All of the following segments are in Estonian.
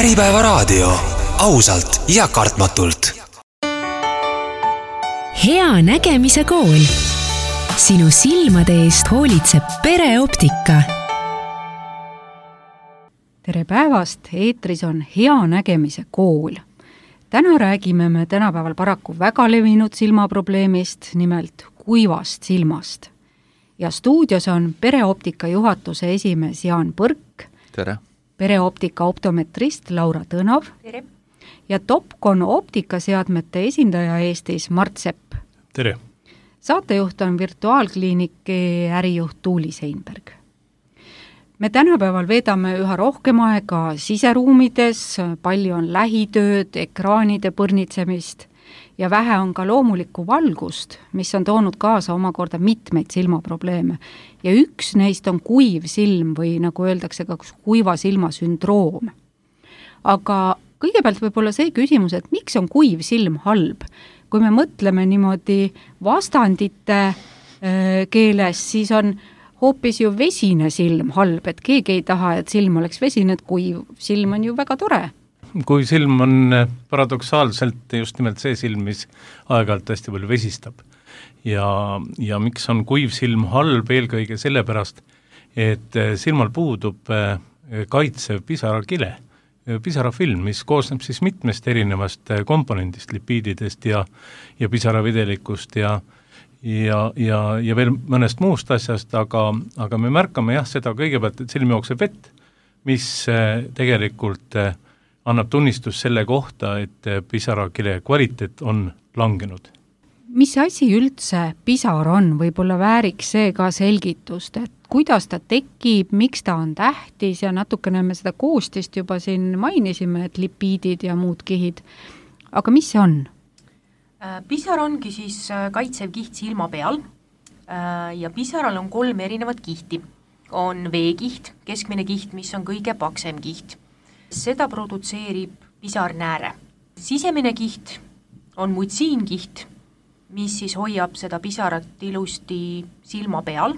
Äripäevaraadio, ausalt ja kartmatult. Hea nägemise kool. Sinu silmade eest hoolitseb Pereoptika. Tere päevast, eetris on Hea nägemise kool. Täna räägime me tänapäeval paraku väga levinud silmaprobleemist, nimelt kuivast silmast. Ja stuudios on Pereoptika juhatuse esimees Jaan Põrk. Tere. Pereoptika optometrist Laura Tõnav. Tere. Ja Topcon optikaseadmete esindaja Eestis Mart Sepp. Tere. Saatejuht on virtuaalkliiniki ärijuht Tuuli Seinberg. Me tänapäeval veedame üha rohkem aega siseruumides, palju on lähitööd, ekraanide põrnitsemist ja vähe on ka loomulikku valgust, mis on toonud kaasa omakorda mitmeid silmaprobleeme. Ja üks neist on kuiv silm või nagu öeldakse ka kuiva silma sündroom. Aga kõigepealt võib-olla see küsimus, et miks on kuiv silm halb? Kui me mõtleme niimoodi vastandite keeles, siis on hoopis ju vesine silm halb, et keegi ei taha, et silm oleks vesine, et kuiv silm on ju väga tore. Kui silm on paradoksaalselt just nimelt see silm, mis aeg-ajalt hästi palju vesistab. Ja miks on kuiv silm halb eelkõige sellepärast, et silmal puudub kaitsev pisarakile, pisarafilm, mis koosneb siis mitmest erinevast komponendist, lipiididest ja pisaravidelikust ja veel mõnest muust asjast, aga me märkame seda kõigepealt, et silm jookseb vett, mis tegelikult annab tunnistus selle kohta, et pisarakile kvaliteet on langenud. Mis asi üldse pisar on? Võib-olla vääriks see ka selgitust, et kuidas ta tekib, miks ta on tähtis ja natukene me seda koostist juba siin mainisime, et lipiidid ja muud kihid. Aga mis see on? Pisar ongi siis kaitsev kiht silma peal ja pisaral on 3 erinevat kihti. On veekiht, keskmine kiht, mis on kõige paksem kiht. Seda produtseerib pisarnääre. Sisemine kiht on mutsiinkiht, mis siis hoiab seda pisarat ilusti silma peal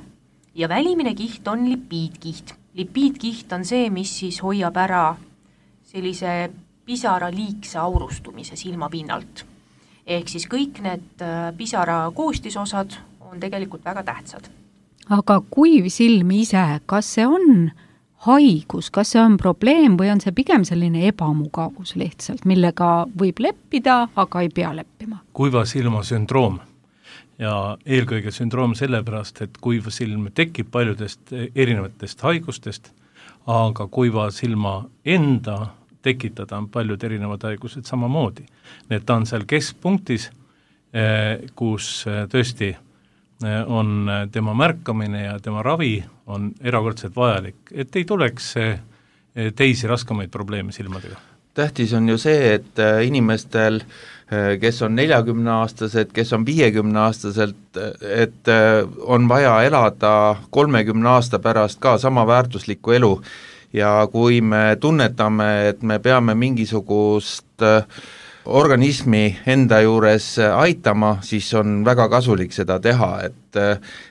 ja välimine kiht on lipiidkiht. Lipiidkiht on see, mis siis hoiab ära sellise pisara liigse aurustumise silma pinnalt. Ehk siis kõik need pisara koostisosad on tegelikult väga tähtsad. Aga kuiv silm ise, kas see on haigus, kas see on probleem või on see pigem selline ebamugavus lihtsalt, millega võib leppida, aga ei pea leppima? Kuiva silma sündroom ja eelkõige sündroom sellepärast, et kuiva silm tekib paljudest erinevatest haigustest, aga kuiva silma enda tekitada on paljud erinevad haigused samamoodi. Need on seal keskpunktis, kus tõesti on tema märkamine ja tema ravi on erakordselt vajalik, et ei tuleks teisi raskemaid probleeme silmadega. Tähtis on ju see, et inimestel, kes on 40-aastased, kes on 50-aastaselt, et on vaja elada 30 aasta pärast ka sama väärtuslikku elu ja kui me tunnetame, et me peame mingisugust organismi enda juures aitama, siis on väga kasulik seda teha,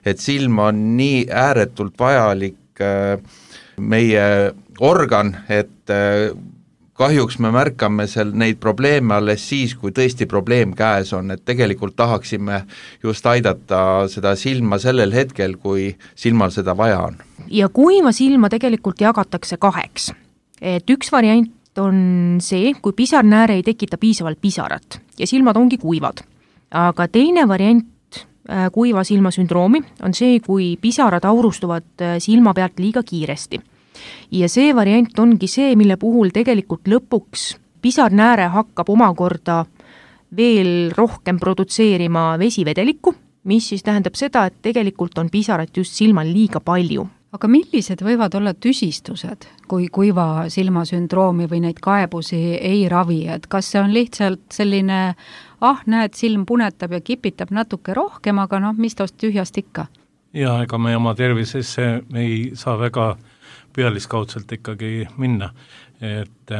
et silm on nii ääretult vajalik meie organ, et kahjuks me märkame neid probleeme alles siis, kui tõesti probleem käes on, et tegelikult tahaksime just aidata seda silma sellel hetkel, kui silmal seda vaja on. Ja kuiva silma tegelikult jagatakse 2. Et üks variant on see, kui pisarnääre ei tekita piisavalt pisarat ja silmad ongi kuivad. Aga teine variant kuiva silma sündroomi on see, kui pisarad aurustuvad silma pealt liiga kiiresti. Ja see variant ongi see, mille puhul tegelikult lõpuks pisarnääre hakkab omakorda veel rohkem produtseerima vesivedelikku, mis siis tähendab seda, et tegelikult on pisarat just silmal liiga palju. Aga millised võivad olla tüsistused, kui kuiva silma sündroomi või neid kaebusi ei ravi, et kas see on lihtsalt selline, näed, silm punetab ja kipitab natuke rohkem, aga mis tost tühjast ikka? Ja ega me oma tervisesse ei saa väga pealiskaudselt ikkagi minna, et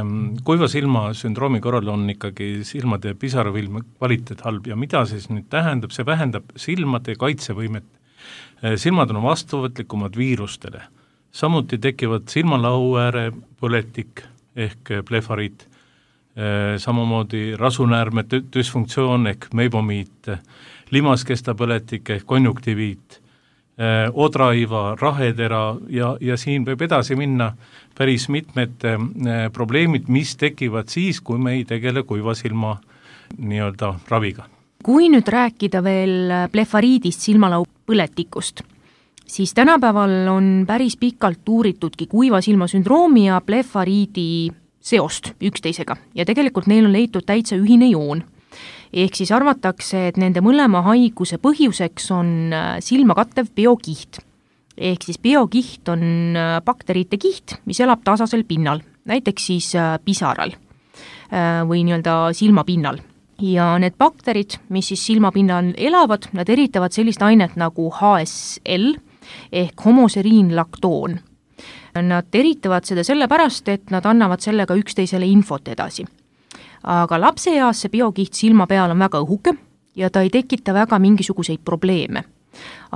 kuiva silma sündroomi korral on ikkagi silmade pisaravilme kvaliteet halb ja mida siis nüüd tähendab, see vähendab silmade kaitsevõimet. Silmad on vastuvõtlikumad viirustele. Samuti tekivad silmalahu ääre põletik, ehk blefariit, samamoodi rasunäärme düsfunktsioon ehk meibomiit, limaskestapõletik ehk konjunktiviit, odraiva, rahetera ja siin võib edasi minna päris mitmed probleemid, mis tekivad siis, kui me ei tegele kuiva silma nii-öelda raviga. Kui nüüd rääkida veel blefariidist, silmalau põletikust, siis tänapäeval on päris pikalt uuritudki kuiva silma sündroomi ja blefariidi seost üksteisega ja tegelikult neil on leitud täitsa ühine joon. Ehk siis arvatakse, et nende mõlema haiguse põhjuseks on silma kattev biokiht. Ehk siis biokiht on bakteriite kiht, mis elab tasasel pinnal, näiteks siis pisaral või nii-öelda silmapinnal. Ja need bakterid, mis siis silmapinnal elavad, nad eritavad sellist ainet nagu HSL ehk homoseriinlaktoon. Nad eritavad seda sellepärast, et nad annavad sellega üksteisele infot edasi. Aga lapseeas see biokiht silma peal on väga õhuke ja ta ei tekita väga mingisuguseid probleeme.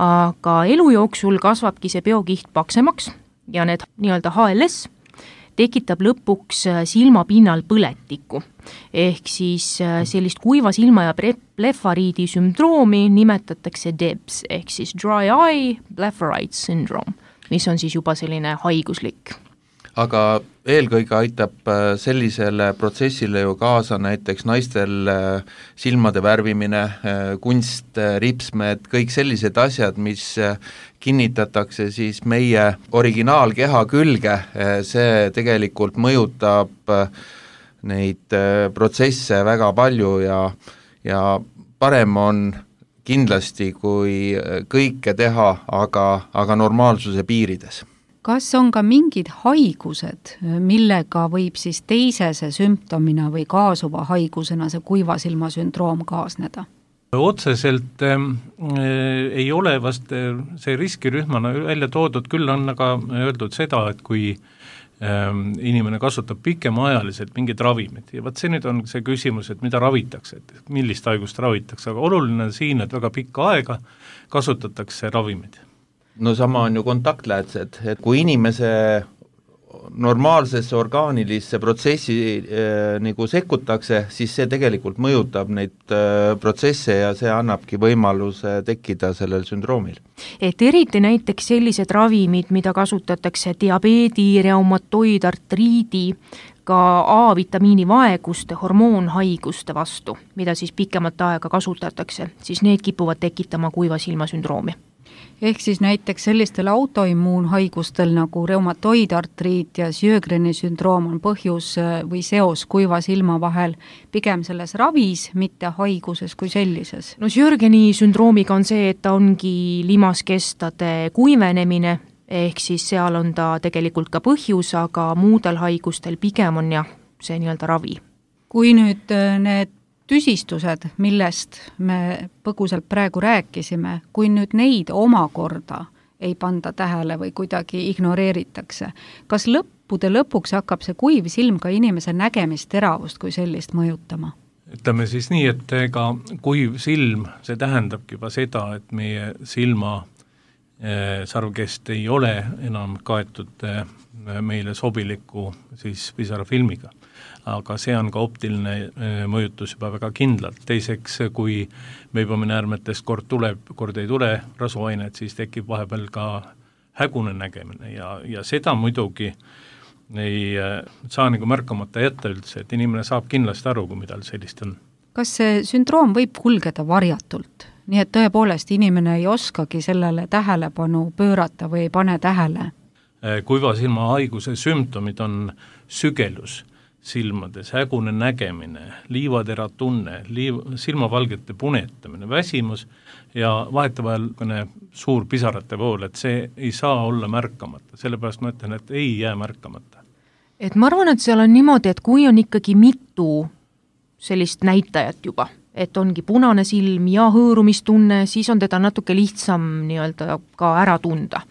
Aga elu jooksul kasvabki see biokiht paksemaks ja need nii-öelda HLS tekitab lõpuks silmapinnal põletikku. Ehk siis sellist kuiva silma ja blefariidi sündroomi nimetatakse DEBS ehk siis Dry Eye Blepharitis Syndrome, mis on siis juba selline haiguslik. Aga eelkõige aitab sellisele protsessile ju kaasa näiteks naistel silmade värvimine, kunst, ripsmed, kõik sellised asjad, mis kinnitatakse siis meie originaalkeha külge, see tegelikult mõjutab neid protsesse väga palju ja parem on kindlasti, kui kõike teha, aga normaalsuse piirides. Kas on ka mingid haigused, millega võib siis teisese sümptomina või kaasuva haigusena see kuiva silma sündroom kaasneda? Otseselt ei ole vast see riskirühmana välja toodud, küll on aga öeldud seda, et kui inimene kasutab pikemaajaliselt mingid ravimid ja see nüüd on see küsimus, et mida ravitakse, et millist haigust ravitakse, aga oluline on siin, et väga pikka aega kasutatakse ravimid. No sama on ju kontaktläätsed, et kui inimese normaalsesse orgaanilisse protsessi nagu sekkutakse, siis see tegelikult mõjutab neid protsesse ja see annabki võimaluse tekkida sellel sündroomil. Et eriti näiteks sellised ravimid, mida kasutatakse diabeedi, reumatoidartriidi, ka A-vitamiini vaeguste, hormoonhaiguste vastu, mida siis pikemat aega kasutatakse, siis need kipuvad tekitama kuiva silma sündroomi. Ehk siis näiteks sellistel autoimmuunhaigustel nagu reumatoidartriit ja Sjögreni sündroom on põhjus või seos kuiva silma vahel pigem selles ravis, mitte haiguses kui sellises. No Sjögreni sündroomiga on see, et ta ongi limaskestade kuivenemine, ehk siis seal on ta tegelikult ka põhjus, aga muudel haigustel pigem on jah, see nii-öelda ravi. Kui nüüd need tüsistused, millest me põgusalt praegu rääkisime, kui nüüd neid omakorda ei panda tähele või kuidagi ignoreeritakse, kas lõppude lõpuks hakkab see kuiv silm ka inimese nägemisteravust kui sellist mõjutama? Ütleme siis nii, et ega kuiv silm, see tähendabki juba seda, et meie silma sarvkest ei ole enam kaetud meile sobiliku siis pisarafilmiga. Aga see on ka optiline mõjutus juba väga kindlalt. Teiseks, kui meibominäärmetest kord tuleb, kord ei tule rasuainet, siis tekib vahepeal ka hägune nägemine ja seda muidugi ei saa nagu märkamata jätta üldse, et inimene saab kindlasti aru, kui midagi sellist on. Kas see sündroom võib kulgeda varjatult? Nii et tõepoolest inimene ei oskagi sellele tähelepanu pöörata või ei pane tähele? Kuiva silma haiguse sümptomid on sügelus silmades, hägune nägemine, liivatera tunne, silmavalgete punetamine, väsimus ja vahetevahel suur pisarate vool, et see ei saa olla märkamata, sellepärast ma ütlen, et ei jää märkamata. Et ma arvan, et seal on niimoodi, et kui on ikkagi mitu sellist näitajat juba, et ongi punane silm ja hõõrumistunne, siis on teda natuke lihtsam nii-öelda ka ära tunda.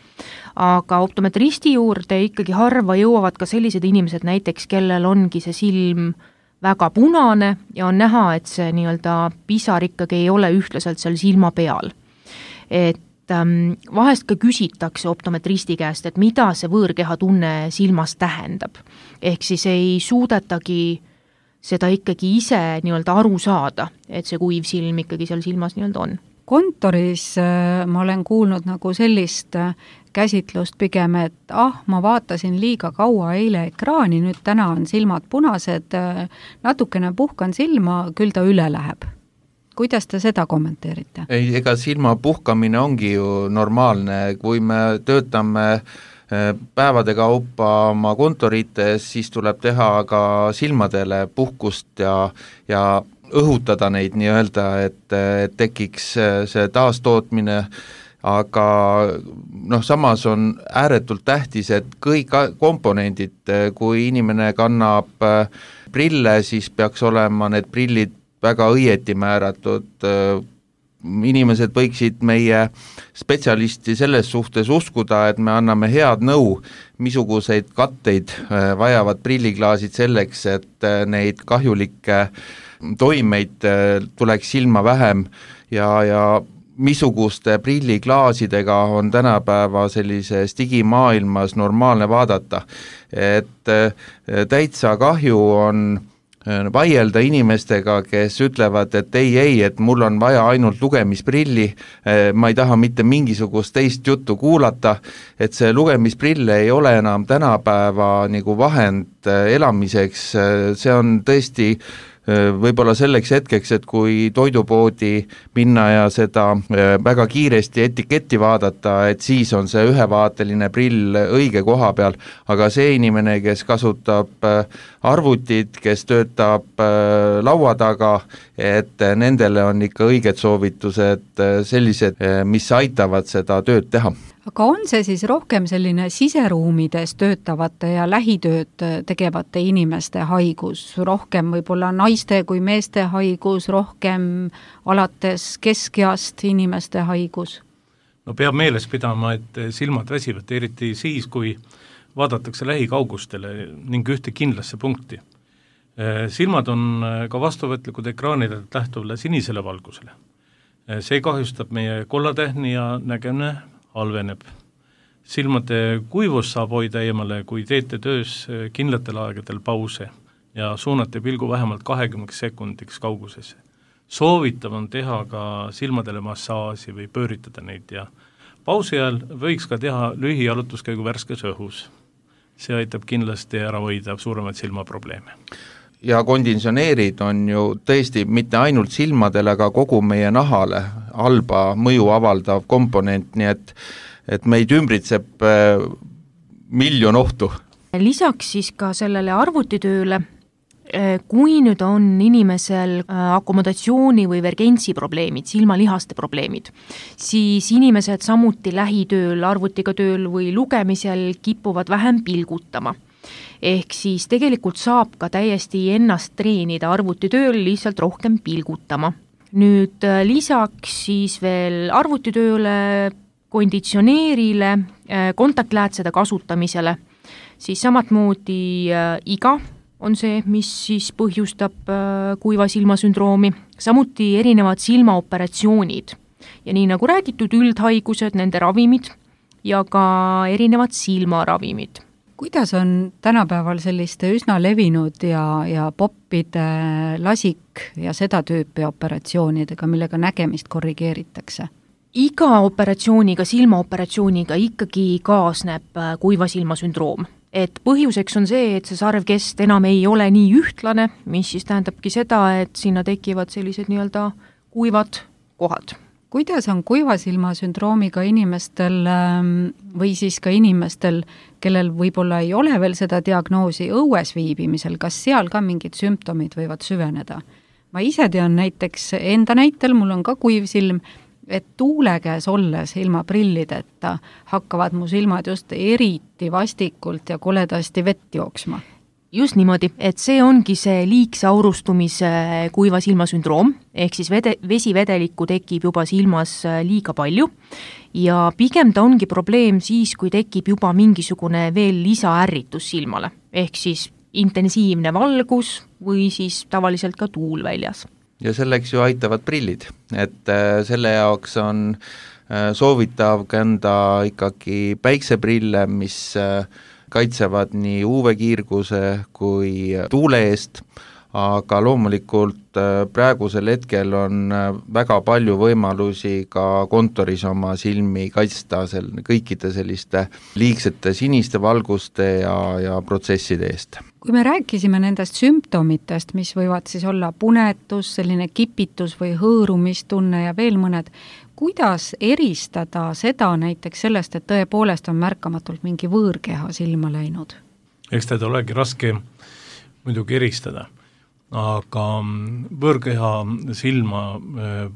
Aga optometristi juurde ikkagi harva jõuavad ka sellised inimesed näiteks, kellel ongi see silm väga punane ja on näha, et see nii-öelda pisar ikkagi ei ole ühtlaselt seal silma peal. Et vahest ka küsitakse optometristi käest, et mida see võõrkeha tunne silmas tähendab. Ehk siis ei suudetagi seda ikkagi ise nii-öelda aru saada, et see kuiv silm ikkagi seal silmas nii-öelda on. Kontoris ma olen kuulnud nagu sellist käsitlust pigem, et ma vaatasin liiga kaua eile ekraani, nüüd täna on silmad punased, natukene puhkan silma, küll ta üle läheb. Kuidas te seda kommenteerite? Ei, ega silma puhkamine ongi ju normaalne, kui me töötame päevade kaupa oma kontorites, siis tuleb teha ka silmadele puhkust ja õhutada neid nii-öelda, et tekiks see taastootmine, aga samas on ääretult tähtis, et kõik komponendid, kui inimene kannab prille, siis peaks olema need prillid väga õieti määratud. Inimesed võiksid meie spetsialisti selles suhtes uskuda, et me anname head nõu, missuguseid katteid vajavad prilliklaasid selleks, et neid kahjulikke toimeid tuleks silma vähem ja missuguste prilliklaasidega on tänapäeva sellises digimaailmas normaalne vaadata. Et täitsa kahju on vaielda inimestega, kes ütlevad, et ei, et mul on vaja ainult lugemisprilli, ma ei taha mitte mingisugust teist juttu kuulata, et see lugemisprill ei ole enam tänapäeva nagu vahend elamiseks, see on tõesti võib-olla selleks hetkeks, et kui toidupoodi minna ja seda väga kiiresti etiketti vaadata, et siis on see ühevaateline prill õige koha peal, aga see inimene, kes kasutab arvutit, kes töötab laua taga, et nendele on ikka õiged soovitused sellised, mis aitavad seda tööd teha. Aga on see siis rohkem selline siseruumides töötavate ja lähitööd tegevate inimeste haigus, rohkem võib-olla naiste kui meeste haigus, rohkem alates keskeast inimeste haigus? No peab meeles pidama, et silmad väsivad, eriti siis, kui vaadatakse lähikaugustele ning ühte kindlasse punkti. Silmad on ka vastuvõtlikud ekraanidelt lähtuvale sinisele valgusele. See kahjustab meie kollatähni ja nägemine halveneb. Silmade kuivus saab hoida eemale, kui teete töös kindlatel aegadel pause ja suunate pilgu vähemalt 20 sekundiks kaugusesse. Soovitav on teha ka silmadele massaaži või pööritada neid ja pausi ajal võiks ka teha lühijalutuskäigu värskes õhus. See aitab kindlasti ära hoida suuremaid silmaprobleeme. Ja konditsioneerid on ju tõesti mitte ainult silmadele, aga kogu meie nahale halba mõju avaldav komponent, nii et meid ümbritseb miljon ohtu. Lisaks siis ka sellele arvutitööle, kui nüüd on inimesel akomodatsiooni või vergentsi probleemid, silmalihaste probleemid, siis inimesed samuti lähitööl, arvutiga tööl või lugemisel kipuvad vähem pilgutama. Ehk siis tegelikult saab ka täiesti ennast treenida arvutitööl lihtsalt rohkem pilgutama. Nüüd lisaks siis veel arvutitööle, konditsioneerile, kontaktläätsede kasutamisele, siis samatmoodi iga on see, mis siis põhjustab kuiva silmasündroomi, samuti erinevad silmaoperatsioonid ja nii nagu räägitud, üldhaigused, nende ravimid ja ka erinevad silmaravimid. Kuidas on tänapäeval selliste üsna levinud ja poppide lasik ja seda tüüpi operatsioonidega, millega nägemist korrigeeritakse? Iga operatsiooniga, silmaoperatsiooniga ikkagi kaasneb kuiva silmasündroom. Et põhjuseks on see, et see sarvkest enam ei ole nii ühtlane, mis siis tähendabki seda, et sinna tekivad sellised nii-öelda kuivad kohad. Kuidas on kuiva silmasündroomiga inimestel või siis ka inimestel, kellel võib-olla ei ole veel seda diagnoosi õues viibimisel, kas seal ka mingid sümptomid võivad süveneda? Ma ise tean näiteks enda näitel, mul on ka kuiv silm, et tuule käes olles ilma prillideta hakkavad mu silmad just eriti vastikult ja koledasti vett jooksma. Just niimoodi, et see ongi see liigse aurustumise kuiva silmasündroom, ehk siis vesivedelikku tekib juba silmas liiga palju ja pigem ta ongi probleem siis, kui tekib juba mingisugune veel lisaärritus silmale, ehk siis intensiivne valgus või siis tavaliselt ka tuul väljas. Ja selleks ju aitavad prillid, et selle jaoks on soovitav kanda ikkagi päikseprille, mis kaitsevad nii UV-kiirguse kui tuule eest, aga loomulikult praegusel hetkel on väga palju võimalusi ka kontoris oma silmi kaitsta kõikide selliste liigsete siniste valguste ja protsesside eest. Kui me rääkisime nendest sümptomitest, mis võivad siis olla punetus, selline kipitus või hõõrumistunne ja veel mõned, kuidas eristada seda näiteks sellest, et tõepoolest on märkamatult mingi võõrkeha silma läinud? Eks teda olegi raske muidugi eristada, aga võõrkeha silma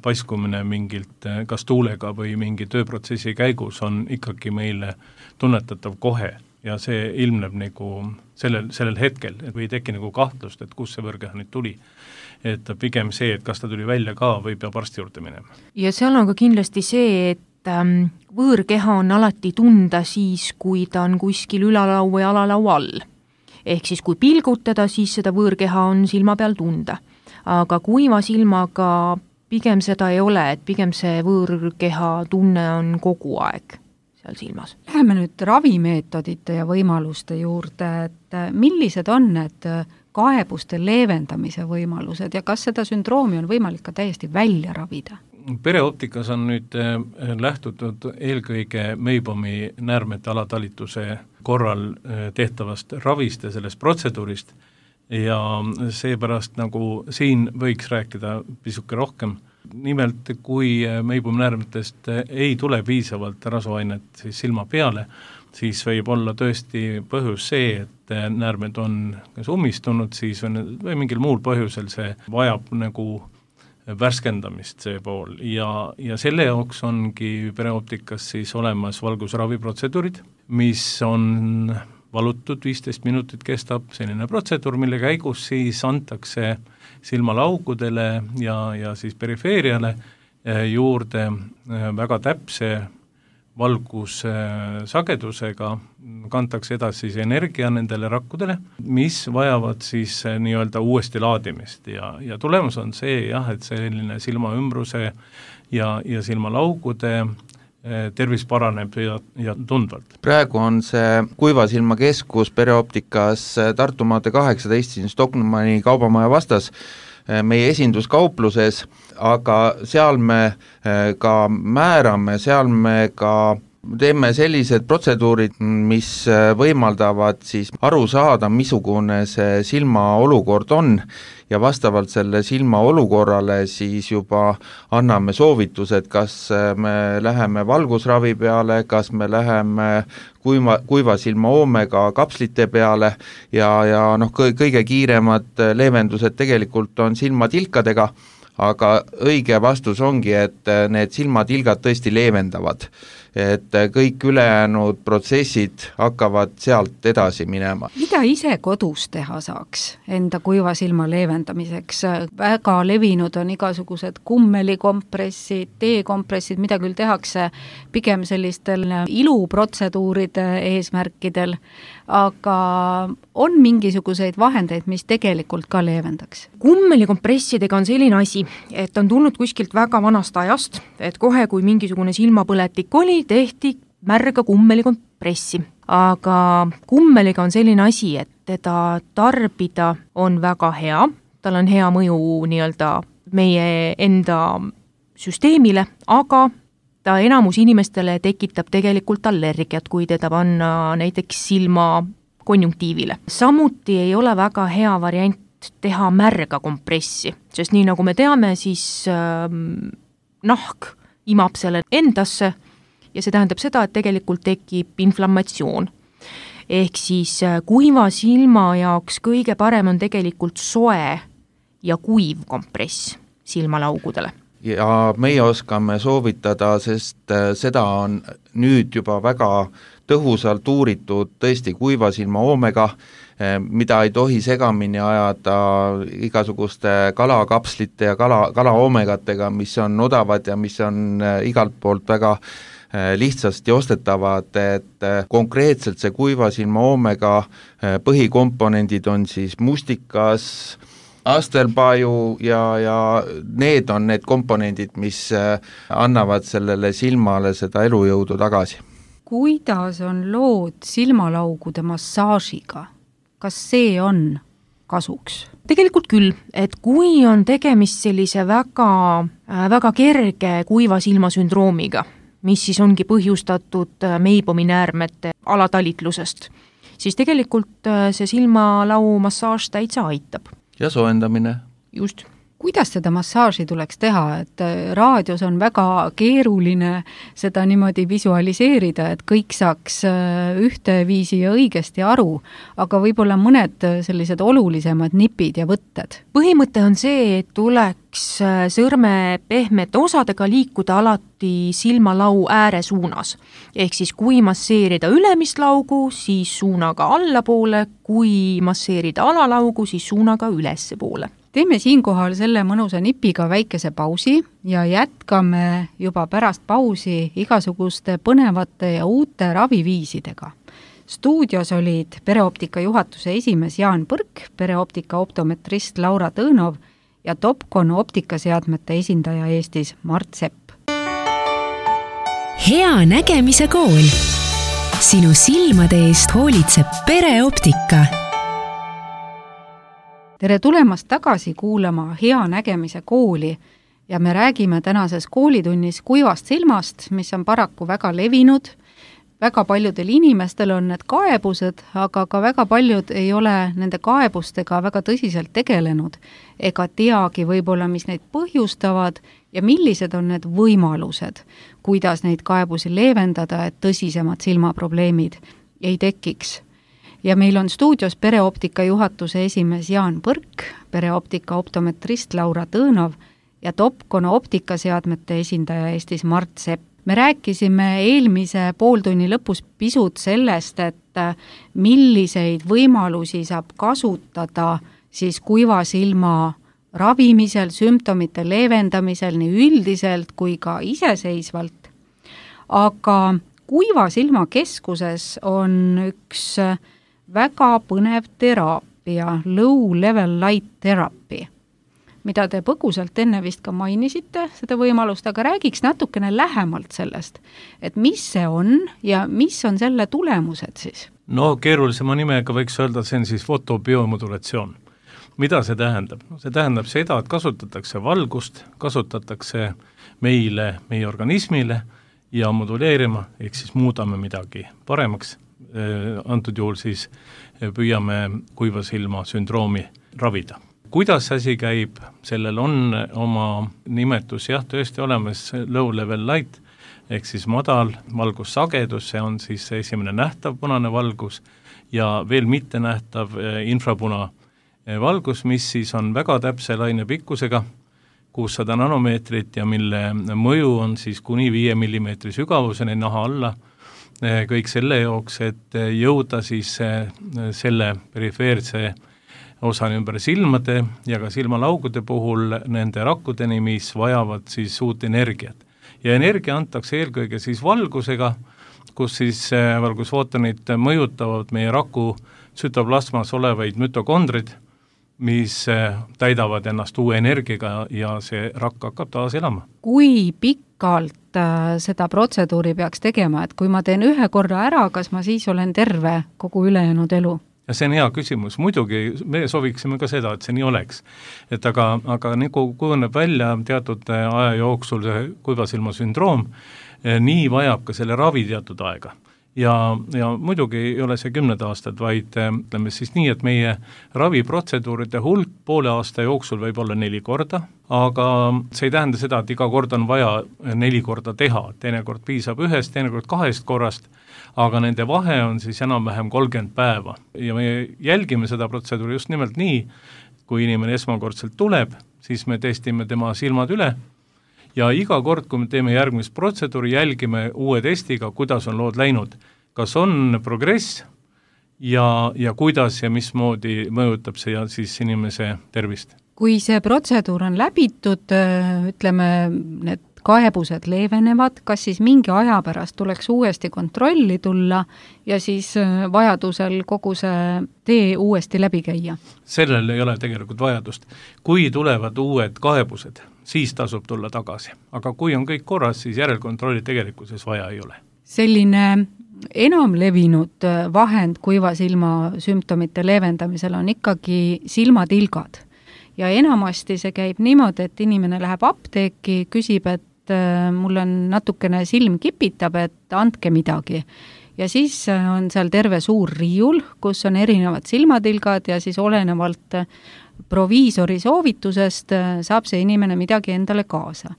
paiskumine mingilt kas tuulega või mingi tööprotsessi käigus on ikkagi meile tunnetatav kohe ja see ilmneb nagu sellel hetkel, et või ei teki nagu kahtlust, et kus see võõrkeha nüüd tuli. Et pigem see, et kas ta tuli välja ka või peab arsti juurde minema. Ja seal on ka kindlasti see, et võõrkeha on alati tunda siis, kui ta on kuskil ülalau või alalau all. Ehk siis kui pilgutada, siis seda võõrkeha on silma peal tunda. Aga kuiva silmaga pigem seda ei ole, et pigem see võõrkeha tunne on kogu aeg seal silmas. Läheme nüüd ravimeetodite ja võimaluste juurde, et millised on need kaebuste leevendamise võimalused ja kas seda sündroomi on võimalik ka täiesti välja ravida? Pereoptikas on nüüd lähtutud eelkõige Meibomi näärmete alatalituse korral tehtavast ravist ja sellest protseduurist ja seepärast nagu siin võiks rääkida pisuke rohkem. Nimelt, kui Meibomi näärmetest ei tule piisavalt rasvaainet siis silma peale, siis võib olla tõesti põhjus see, et näärmed on kas ummistunud siis või mingil muul põhjusel see vajab nagu värskendamist see pool ja selle jaoks ongi pereoptikas siis olemas valgusraviprotseduurid, mis on valutud 15 minutit kestab selline protseduur, mille käigus siis antakse silmalaugudele ja siis perifeeriale juurde väga täpse valgussagedusega, kantakse edasi siis energia nendele rakkudele, mis vajavad siis nii-öelda uuesti laadimist ja tulemus on see jah, et selline silmaümbruse ja silmalaugude tervis paraneb ja tundvalt. Praegu on see kuiva silma keskus pereoptikas Tartu maantee 18 Stockmanni kaubamaja vastas meie esinduskaupluses, aga seal me ka määrame, seal me ka teeme sellised protseduurid, mis võimaldavad siis aru saada, missugune see silma olukord on ja vastavalt selle silma olukorrale siis juba anname soovitused, kas me läheme valgusravi peale, kas me läheme kuiva silma oomega kapslite peale ja kõige kiiremad leevendused tegelikult on silmatilkadega, aga õige vastus ongi, et need silmatilgad tõesti leevendavad. Et kõik ülejäänud protsessid hakkavad sealt edasi minema. Mida ise kodus teha saaks enda kuiva silma leevendamiseks? Väga levinud on igasugused kummelikompressid, teekompressid, mida küll tehakse pigem sellistel iluprotseduuride eesmärkidel, aga on mingisuguseid vahendeid, mis tegelikult ka leevendaks? Kummelikompressidega on selline asi, et on tulnud kuskilt väga vanast ajast, et kohe kui mingisugune silmapõletik oli, tehti märga kummelikompressi. Aga kummeliga on selline asi, et teda tarbida on väga hea, tal on hea mõju nii-öelda meie enda süsteemile, aga ta enamus inimestele tekitab tegelikult allergiat, kui teda panna näiteks silma konjunktiivile. Samuti ei ole väga hea variant teha märga kompressi, sest nii nagu me teame, siis nahk imab selle endasse ja see tähendab seda, et tegelikult tekib inflammatsioon. Ehk siis kuiva silma jaoks kõige parem on tegelikult soe ja kuiv kompress silmalaugudele. Ja meie oskame soovitada, sest seda on nüüd juba väga tõhusalt uuritud tõesti kuiva silma oomega, mida ei tohi segamini ajada igasuguste kalakapslite ja kalaoomegatega, mis on odavad ja mis on igalt poolt väga lihtsasti ostetavad, et konkreetselt see kuiva silma oomega põhikomponendid on siis mustikas, Astelbaju ja need on need komponendid, mis annavad sellele silmale seda elujõudu tagasi. Kuidas on lood silmalaugude massaažiga? Kas see on kasuks? Tegelikult küll, et kui on tegemist sellise väga kerge kuiva silma sündroomiga, mis siis ongi põhjustatud Meibomi näärmete alatalitlusest, siis tegelikult see silmalau massaaž täitsa aitab. Ja soojendamine. Just. Kuidas seda massaaži tuleks teha, et raadios on väga keeruline seda niimoodi visualiseerida, et kõik saaks ühteviisi ja õigesti aru, aga võib-olla mõned sellised olulisemad nipid ja võtted? Põhimõte on see, et tuleks sõrme pehmete osadega liikuda alati silmalau ääre suunas. Ehk siis kui masseerida ülemist laugu, siis suunaga allapoole, kui masseerida alalaugu, siis suunaga ülesse poole. Teeme siinkohal selle mõnusa nipiga väikese pausi ja jätkame juba pärast pausi igasuguste põnevate ja uute raviviisidega. Stuudios olid Pereoptika juhatuse esimees Jaan Põrk, Pereoptika optometrist Laura Tõõnov ja Topcon optikaseadmete esindaja Eestis Mart Sepp. Hea nägemise kool. Sinu silmade eest hoolitseb Pereoptika. Tere tulemast tagasi kuulama Hea nägemise kooli ja me räägime tänases koolitunnis kuivast silmast, mis on paraku väga levinud. Väga paljudel inimestel on need kaebused, aga ka väga paljud ei ole nende kaebustega väga tõsiselt tegelenud ega teagi võib-olla, mis neid põhjustavad ja millised on need võimalused, kuidas neid kaebusi leevendada, et tõsisemad silmaprobleemid ei tekiks. Ja meil on stuudios Pereoptika juhatuse esimees Jaan Põrk, Pereoptika optometrist Laura Tõõnov ja Topcon optikaseadmete esindaja Eestis Mart Sepp. Me rääkisime eelmise pooltunni lõpus pisut sellest, et milliseid võimalusi saab kasutada siis kuiva silma ravimisel, sümptomite leevendamisel nii üldiselt kui ka iseseisvalt. Aga kuiva silma keskuses on üks väga põnev teraapia, low level light therapy, mida te põgusalt enne vist ka mainisite, seda võimalust, aga räägiks natukene lähemalt sellest, et mis see on ja mis on selle tulemused siis? No keerulisema nimega võiks öelda, see on siis fotobiomodulatsioon. Mida see tähendab? See tähendab seda, et kasutatakse valgust, kasutatakse meie organismile ja moduleerima, ehk siis muudame midagi paremaks. Antud juhul siis püüame kuiva silma sündroomi ravida. Kuidas asi käib? Sellel on oma nimetus jah, tõesti olemas low level light, ehk siis madal valgussagedus, see on siis esimene nähtav punane valgus ja veel mitte nähtav infrapuna valgus, mis siis on väga täpse lainepikkusega, 600 nanomeetrit ja mille mõju on siis kuni 5 mm sügavuseni naha alla, kõik selle jooks, et jõuda siis selle perifeerse osani ümber silmade ja ka silmalaugude puhul nende rakkudeni, mis vajavad siis uut energiat. Ja energia antakse eelkõige siis valgusega, kus siis valgusfootonid mõjutavad meie raku sütoplasmas olevaid mütokondrid, mis täidavad ennast uue energiaga ja see rakk hakkab taas elama. Kui pikalt seda protseduuri peaks tegema, et kui ma teen ühe korra ära, kas ma siis olen terve kogu ülejäänud elu? Ja see on hea küsimus. Muidugi me sooviksime ka seda, et see nii oleks. Et aga nagu kujuneb välja teatud aja jooksul see kuivasilma sündroom, nii vajab ka selle ravi teatud aega. Ja muidugi ei ole see 10 aastad, vaid ütleme siis nii, et meie raviprotseduuride hulk poole aasta jooksul võib olla 4 korda, aga see ei tähenda seda, et iga kord on vaja 4 korda teha, teinekord piisab 1, teinekord 2 korrast, aga nende vahe on siis enam-vähem 30 päeva ja me jälgime seda protseduuri just nimelt nii, kui inimene esmakordselt tuleb, siis me testime tema silmad üle ja iga kord, kui me teeme järgmist protseduuri, jälgime uue testiga, kuidas on lood läinud, kas on progress ja kuidas ja mismoodi mõjutab see siis inimese tervist. Kui see protseduur on läbitud, ütleme, need kaebused leevenevad, kas siis mingi aja pärast tuleks uuesti kontrolli tulla ja siis vajadusel kogu see tee uuesti läbi käia? Sellel ei ole tegelikult vajadust. Kui tulevad uued kaebused, siis tasub tulla tagasi. Aga kui on kõik korras, siis järelkontrolli tegelikkuses vaja ei ole. Selline enam levinud vahend kuiva silma sümptomite leevendamisel on ikkagi silmatilgad. Ja enamasti see käib niimoodi, et inimene läheb apteeki, küsib, et mul on natukene silm kipitab, et andke midagi. Ja siis on seal terve suur riiul, kus on erinevad silmatilgad ja siis olenevalt proviisori soovitusest saab see inimene midagi endale kaasa.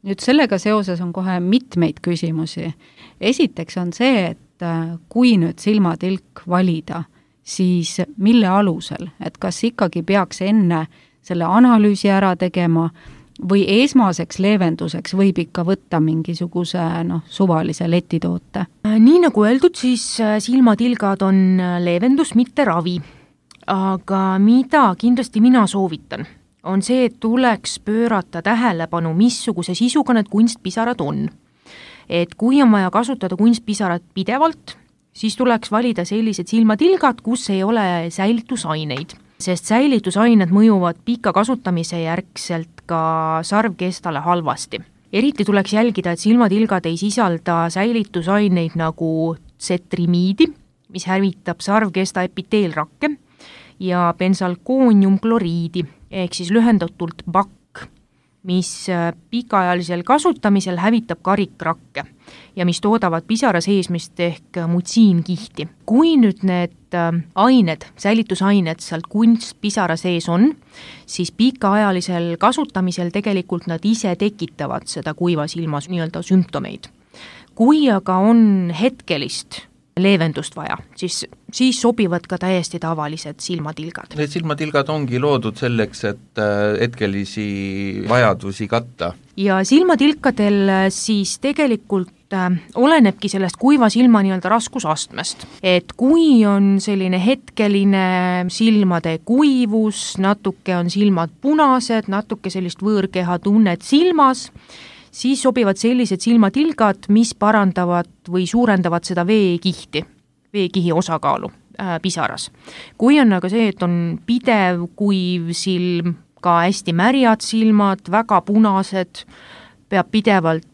Nüüd sellega seoses on kohe mitmeid küsimusi. Esiteks on see, et kui nüüd silmatilk valida, siis mille alusel, et kas ikkagi peaks enne selle analüüsi ära tegema või esmaseks leevenduseks võib ikka võtta mingisuguse suvalise letitoote? Nii nagu öeldud, siis silmatilgad on leevendus, mitte ravi. Aga mida kindlasti mina soovitan, on see, et tuleks pöörata tähelepanu, missuguse sisuga need kunstpisarad on. Et kui on vaja kasutada kunstpisarat pidevalt, siis tuleks valida sellised silmatilgad, kus ei ole säilitusaineid. Sest säilitusained mõjuvad pika kasutamise järgselt ka sarvkestale halvasti. Eriti tuleks jälgida, et silmatilgad ei sisalda säilitusaineid nagu tsetrimiidi, mis hävitab sarvkesta epiteelrakke, ja bensalkooniumkloriidi, ehk siis lühendatult BAK, mis pikaajalisel kasutamisel hävitab karikrakke ja mis toodavad pisara seesmist ehk mutsiinkihti. Kui nüüd need ained, säilitusained sealt kunstpisara sees on, siis pikaajalisel kasutamisel tegelikult nad ise tekitavad seda kuiva silma nii-öelda sümptomeid. Kui aga on hetkelist leevendust vaja, siis sobivad ka täiesti tavalised silmatilgad. Need silmatilgad ongi loodud selleks, et hetkelisi vajadusi katta. Ja silmatilkadel siis tegelikult olenebki sellest kuiva silma nii-öelda raskusastmest. Et kui on selline hetkeline silmade kuivus, natuke on silmad punased, natuke sellist võõrkeha tunnet silmas, siis sobivad sellised silmatilgad, mis parandavad või suurendavad seda veekihi osakaalu pisaras. Kui on aga see, et on pidev kuiv silm, ka hästi märjad silmad, väga punased, peab pidevalt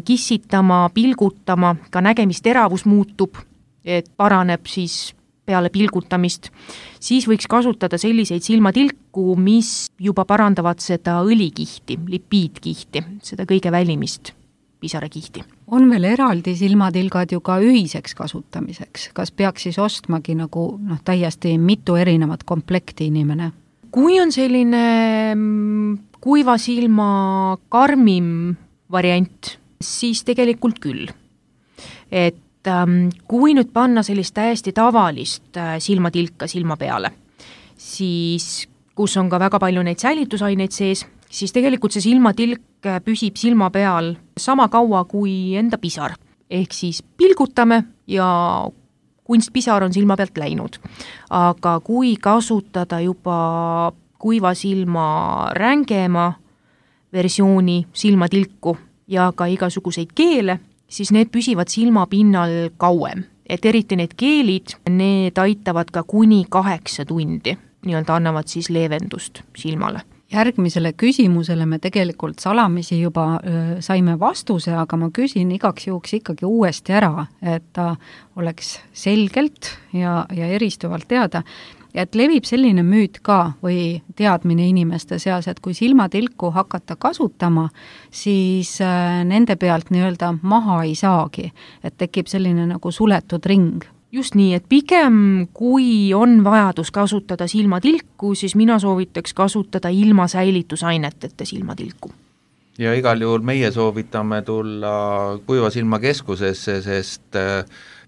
kissitama, pilgutama, ka nägemisteravus muutub, et paraneb siis peale pilgutamist, siis võiks kasutada selliseid silmatilku, mis juba parandavad seda õlikihti, lipiidkihti, seda kõige välimist pisarakihti. On veel eraldi silmatilgad ju ka ühiseks kasutamiseks. Kas peaks siis ostmagi nagu täiesti mitu erinevat komplekti inimene? Kui on selline kuiva silma karmim variant, siis tegelikult küll. Et kui nüüd panna sellist täiesti tavalist silmatilka silma peale, siis kus on ka väga palju neid säilitusaineid sees, siis tegelikult see silmatilk püsib silma peal sama kaua kui enda pisar. Ehk siis pilgutame ja kunstpisar on silma pealt läinud. Aga kui kasutada juba kuiva silma rängema versiooni silmatilku ja ka igasuguseid keele, siis need püsivad silmapinnal kauem. Et eriti need keelid, need aitavad ka kuni 8 tundi, nii-öelda annavad siis leevendust silmale. Järgmisele küsimusele me tegelikult salamisi juba saime vastuse, aga ma küsin igaks juhuks ikkagi uuesti ära, et ta oleks selgelt ja eristuvalt teada. Et levib selline müüt ka või teadmine inimeste seas, et kui silmatilku hakata kasutama, siis nende pealt nii-öelda maha ei saagi, et tekib selline nagu suletud ring. Just nii, et pigem kui on vajadus kasutada silmatilku, siis mina soovitaks kasutada ilma säilitusaineteta silmatilku. Ja igal juhul meie soovitame tulla kuiva silma keskusesse, sest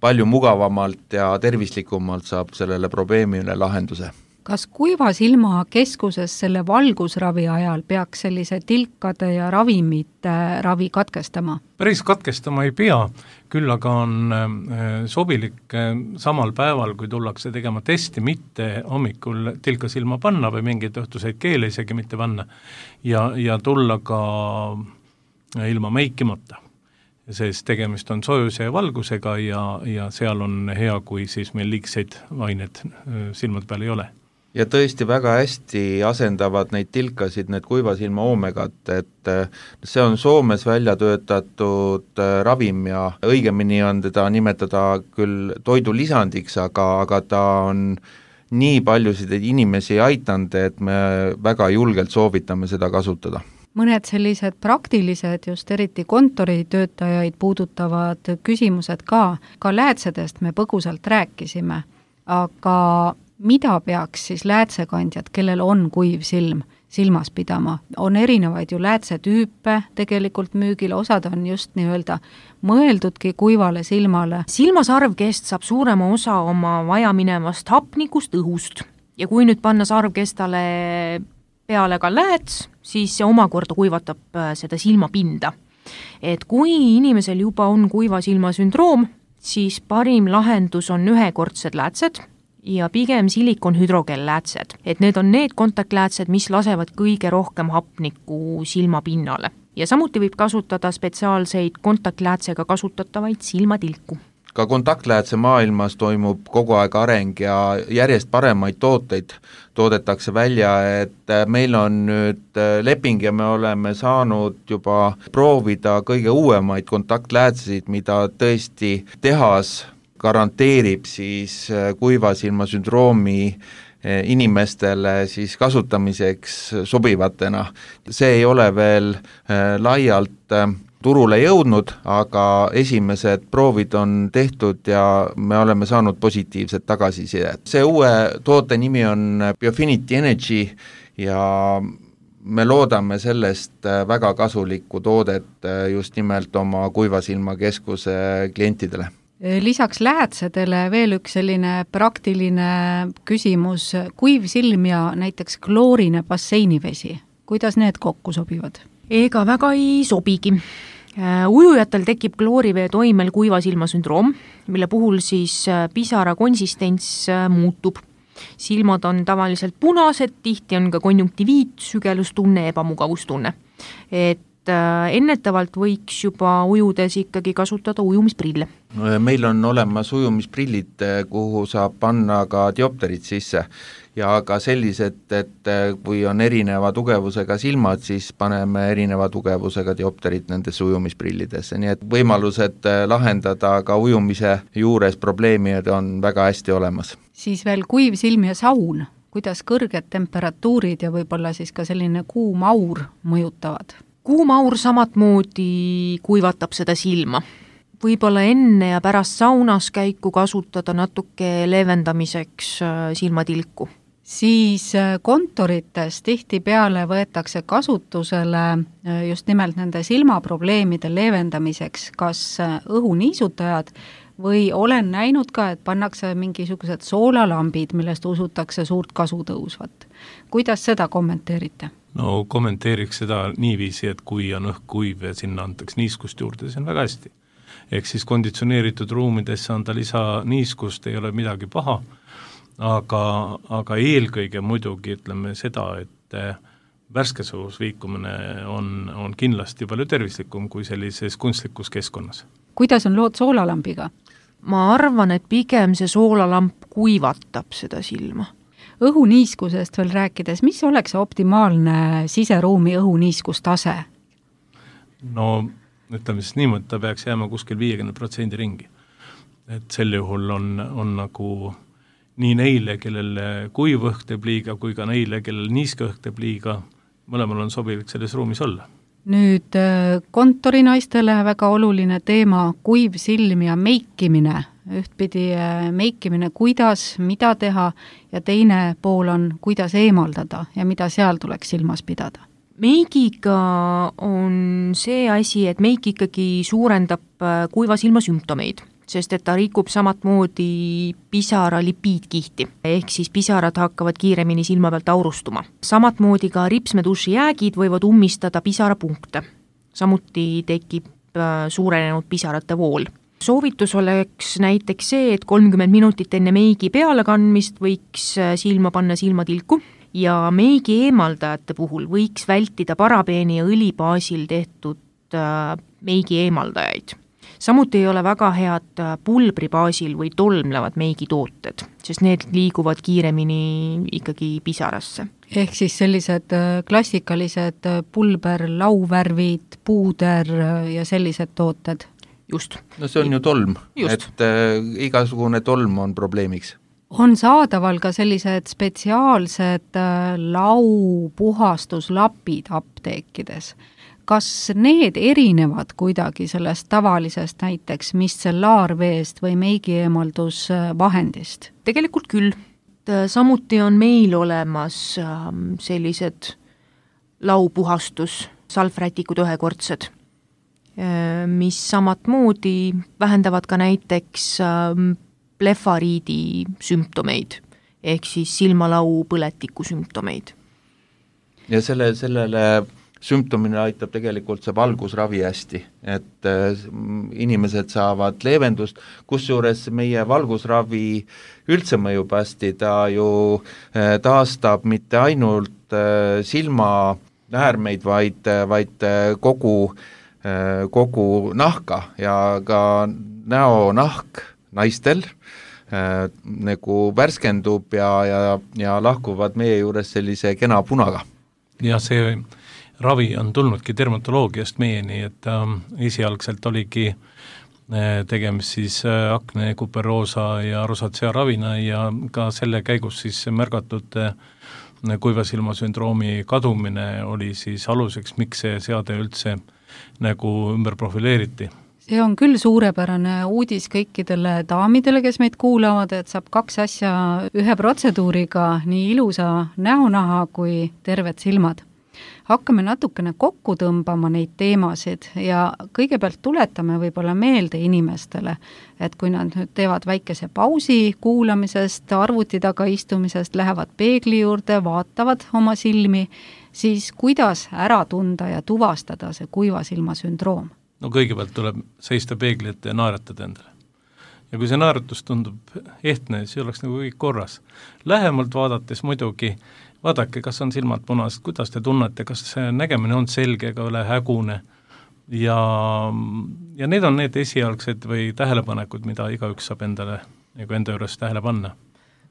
palju mugavamalt ja tervislikumalt saab sellele probleemile lahenduse. Kas kuiva silma keskuses selle valgusravi ajal peaks sellise tilkade ja ravimite ravi katkestama? Päris katkestama ei pea, küll aga on sobilik samal päeval, kui tullakse tegema testi, mitte hommikul tilka silma panna või mingeid õhtuseid keele isegi mitte panna ja tulla ka ilma meikimata. Sest tegemist on soojuse ja valgusega ja seal on hea, kui siis meil liigseid aineid silmade peal ei ole. Ja tõesti väga hästi asendavad neid tilkasid, need kuivasilma oomegad, et see on Soomes välja töötatud ravim ja õigemini on teda nimetada küll toidulisandiks, aga ta on nii paljusid inimesi aitanud, et me väga julgelt soovitame seda kasutada. Mõned sellised praktilised, just eriti kontoritöötajaid puudutavad küsimused ka läätsedest me põgusalt rääkisime, aga mida peaks siis läätsekandjad, kellel on kuiv silm, silmas pidama? On erinevaid ju läätsetüüpe tegelikult müügil, osad on just nii-öelda mõeldudki kuivale silmale. Silmasarvkest saab suurema osa oma vajaminevast hapnikust õhust ja kui nüüd panna sarvkestale peale ka lääts, siis see omakorda kuivatab seda silmapinda. Et kui inimesel juba on kuiva silma sündroom, siis parim lahendus on ühekordsed läätsed ja pigem silikonhüdrogel-läätsed. Et need on need kontaktläätsed, mis lasevad kõige rohkem hapnikku silmapinnale. Ja samuti võib kasutada spetsiaalseid kontaktläätsega kasutatavaid silmatilku. Ka kontaktläätse maailmas toimub kogu aeg areng ja järjest paremaid tooteid toodetakse välja, et meil on nüüd leping ja me oleme saanud juba proovida kõige uuemaid kontaktläätseid, mida tõesti tehas garanteerib siis kuivasilma sündroomi inimestele siis kasutamiseks sobivatena. See ei ole veel laialt turule jõudnud, aga esimesed proovid on tehtud ja me oleme saanud positiivset tagasisidet. See uue toote nimi on Biofinity Energy ja me loodame sellest väga kasulikku toodet just nimelt oma kuivasilmakeskuse klientidele. Lisaks läätsedele veel üks selline praktiline küsimus, kuiv silm ja näiteks kloorine basseinivesi. Kuidas need kokku sobivad? Ega väga ei sobigi. Ujujatel tekib kloorivee toimel kuiva silma sündroom, mille puhul siis pisara konsistents muutub. Silmad on tavaliselt punased, tihti on ka konjunktiviit, sügelustunne, ebamugavustunne. Et ennetavalt võiks juba ujudes ikkagi kasutada ujumisprille. Meil on olemas ujumisprillid, kuhu saab panna ka diopterid sisse ja ka sellised, et kui on erineva tugevusega silmad, siis paneme erineva tugevusega diopterid nendesse ujumisprillidesse, nii et võimalused lahendada ka ujumise juures probleemid on väga hästi olemas. Siis veel kuiv silm ja saun, kuidas kõrged temperatuurid ja võib-olla siis ka selline kuum aur mõjutavad? Kuum aur samatmoodi kuivatab seda silma. Võib-olla enne ja pärast saunas käiku kasutada natuke leevendamiseks silmatilku. Siis kontorites tihtipeale võetakse kasutusele just nimelt nende silmaprobleemide leevendamiseks kas õhuniisutajad või olen näinud ka, et pannakse mingisugused soolalambid, millest usutakse suurt kasu tõusvat. Kuidas seda kommenteerite? No kommenteeriks seda niiviisi, et kui on õhk kuiv ja sinna antaks niiskust juurde, see on väga hästi. Ehk siis konditsioneeritud ruumidesse anda lisa niiskust ei ole midagi paha, aga eelkõige muidugi ütleme seda, et värskes õhus liikumine on kindlasti palju tervislikum kui sellises kunstlikus keskkonnas. Kuidas on lood soolalambiga? Ma arvan, et pigem see soolalamp kuivatab seda silma. Õhuniiskusest veel rääkides, mis oleks optimaalne siseruumi õhuniiskustase? No ütleme siis niimoodi, ta peaks jääma kuskil 50% ringi. Et sel juhul on nagu nii neile, kellel kuiv õhk teeb liiga, kui ka neile, kellel niiske õhk teeb liiga, mõlemal on sobilik selles ruumis olla. Nüüd kontorinaistele väga oluline teema, kuiv silm ja meikimine. Ühtpidi meikimine, kuidas, mida teha ja teine pool on, kuidas eemaldada ja mida seal tuleks silmas pidada. Meigiga on see asi, et meik ikkagi suurendab kuiva silma sümptomeid, sest et ta rikub samatmoodi pisara lipiidkihti, ehk siis pisarad hakkavad kiiremini silma pealt aurustuma. Samatmoodi ka ripsmeduši jäägid võivad ummistada pisarapunkte. Samuti tekib suurenenud pisarate vool. Soovitus oleks näiteks see, et 30 minutit enne meigi pealekandmist võiks silma panna silmatilku ja meigi eemaldajate puhul võiks vältida parabeeni ja õlibaasil tehtud meigi eemaldajaid. Samuti ei ole väga head pulbri baasil või tolmlevad meigitooted, sest need liiguvad kiiremini ikkagi pisarasse. Ehk siis sellised klassikalised pulber, lauvärvid, puuder ja sellised tooted? Just. No see on ju tolm, et igasugune tolm on probleemiks. On saadaval ka sellised spetsiaalsed laupuhastuslapid apteekides. Kas need erinevad kuidagi sellest tavalisest näiteks mistellaarveest või meigieemaldusvahendist? Tegelikult küll. Samuti on meil olemas sellised laupuhastus, salvrätikud ühekordsed, mis samat moodi vähendavad ka näiteks blefariidi sümptomeid, ehk siis silmalau põletiku sümptomeid. Ja sellele sümptomine aitab tegelikult see valgusravi hästi, et inimesed saavad leevendust, kusjuures meie valgusravi üldse mõjub hästi, ta ju taastab mitte ainult silmaäärmeid, vaid kogu nahka ja ka näonahk naistel nagu värskendub ja lahkuvad meie juures sellise kena punaga. Ja see ravi on tulnudki dermatoloogiast meieni, et esialgselt oligi tegemist siis akne, kuperoosa ja rosacea ravina ja ka selle käigus siis märgatud kuivasilmasündroomi kadumine oli siis aluseks, miks see seade üldse nagu ümber profileeriti. See on küll suurepärane uudis kõikidele daamidele, kes meid kuulavad, et saab 2 asja ühe protseduuriga, nii ilusa näonaha kui terved silmad. Hakkame natukene kokku tõmbama neid teemasid ja kõigepealt tuletame võib-olla meelde inimestele, et kui nad nüüd teevad väikese pausi kuulamisest, arvuti taga istumisest, lähevad peegli juurde, vaatavad oma silmi, siis kuidas ära tunda ja tuvastada see kuivasilmasündroom? No kõigepealt tuleb seista peegli ette ja naeratada endale. Ja kui see naeratus tundub ehtne, siis oleks nagu kõik korras. Lähemalt vaadates muidugi vaadake, kas on silmad punased, kuidas te tunnete, kas see nägemine on selge ega ole hägune ja need on need esialgsed või tähelepanekud, mida igaüks saab endale nagu enda juures tähele panna.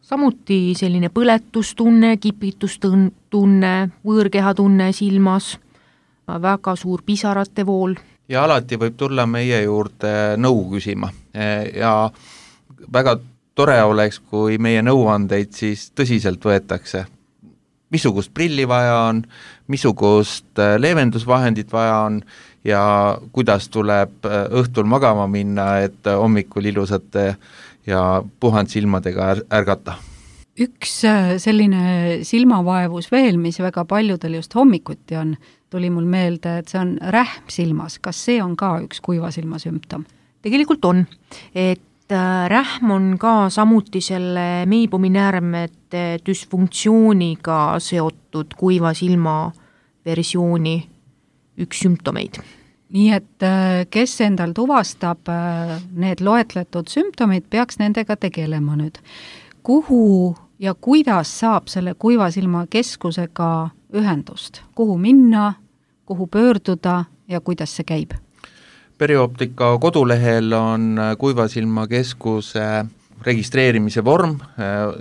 Samuti selline põletustunne, kipitustunne, võõrkehatunne silmas, väga suur pisarate vool. Ja alati võib tulla meie juurde nõu küsima ja väga tore oleks, kui meie nõuandeid siis tõsiselt võetakse. Missugust prilli vaja on, missugust leevendusvahendit vaja on ja kuidas tuleb õhtul magama minna, et hommikul ilusate ja puhand silmadega ärgata. Üks selline silmavaevus veel, mis väga paljudel just hommikuti on, tuli mul meelde, et see on rähm silmas. Kas see on ka üks kuivasilma sümptom? Tegelikult on, et rähm on ka samuti selle meibuminäärmete düsfunktsiooniga seotud kuiva silma versiooni üks sümptomeid. Nii et kes endal tuvastab need loetletud sümptomid, peaks nendega tegelema nüüd. Kuhu ja kuidas saab selle kuivasilma keskusega ühendust? Kuhu minna, kuhu pöörduda ja kuidas see käib? Perioptika kodulehel on kuivasilma keskuse registreerimise vorm,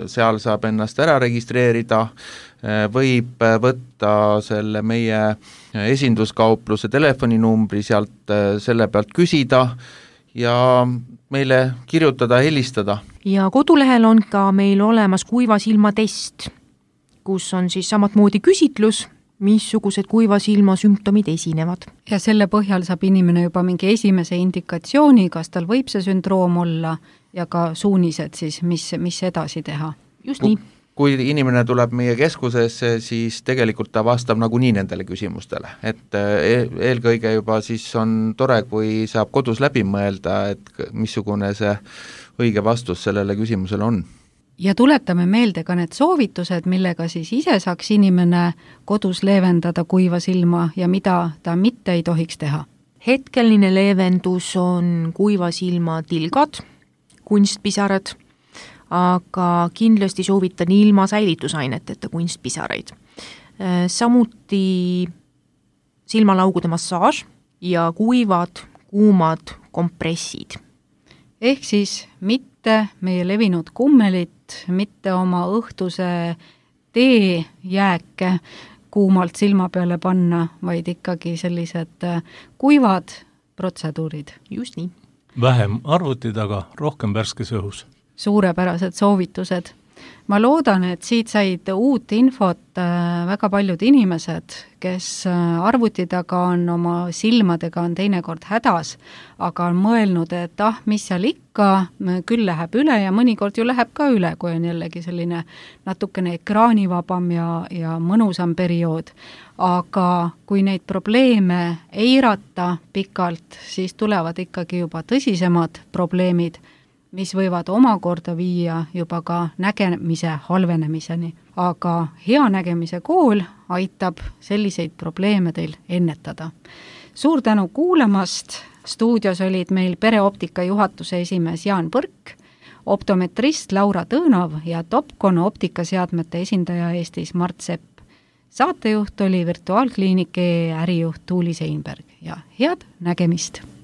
seal saab ennast ära registreerida, võib võtta selle meie esinduskaupluse telefoninumbri, sealt selle pealt küsida ja meile kirjutada, helistada. Ja kodulehel on ka meil olemas kuivasilma test, kus on siis samatmoodi küsitlus, missugused kuivasilma sümptomid esinevad. Ja selle põhjal saab inimene juba mingi esimese indikatsiooni, kas tal võib see sündroom olla ja ka suunised siis, mis edasi teha. Just nii. Kui inimene tuleb meie keskusesse, siis tegelikult ta vastab nagunii nendele küsimustele, et eelkõige juba siis on tore, kui saab kodus läbi mõelda, et missugune see õige vastus sellele küsimusele on. Ja tuletame meelde ka need soovitused, millega siis ise saaks inimene kodus leevendada kuiva silma ja mida ta mitte ei tohiks teha. Hetkeline leevendus on kuiva silma tilgad, kunstpisarad, aga kindlasti soovitan ilma säilitusaineteta kunstpisaraid. Samuti silmalaugude massaaž, ja kuivad, kuumad kompressid. Ehk siis mitte meie levinud kummelit, mitte oma õhtuse teejääke kuumalt silma peale panna, vaid ikkagi sellised kuivad protseduurid. Just nii. Vähem arvuti taga, rohkem värskes õhus. Suurepärased soovitused. Ma loodan, et siit said uut infot väga paljud inimesed, kes arvuti taga on oma silmadega on teinekord hädas, aga on mõelnud, et mis seal ikka, küll läheb üle ja mõnikord ju läheb ka üle, kui on jällegi selline natukene ekraanivabam ja mõnusam periood. Aga kui neid probleeme eirata pikalt, siis tulevad ikkagi juba tõsisemad probleemid, mis võivad omakorda viia juba ka nägemise halvenemiseni. Aga hea nägemise kool aitab selliseid probleeme teil ennetada. Suur tänu kuulamast, stuudios olid meil Pereoptika juhatuse esimees Jaan Põrk, optometrist Laura Tõõnov ja Topcon optikaseadmete esindaja Eestis Mart Sepp. Saatejuht oli Virtuaalkliiniki ärijuht Tuuli Seinberg ja head nägemist!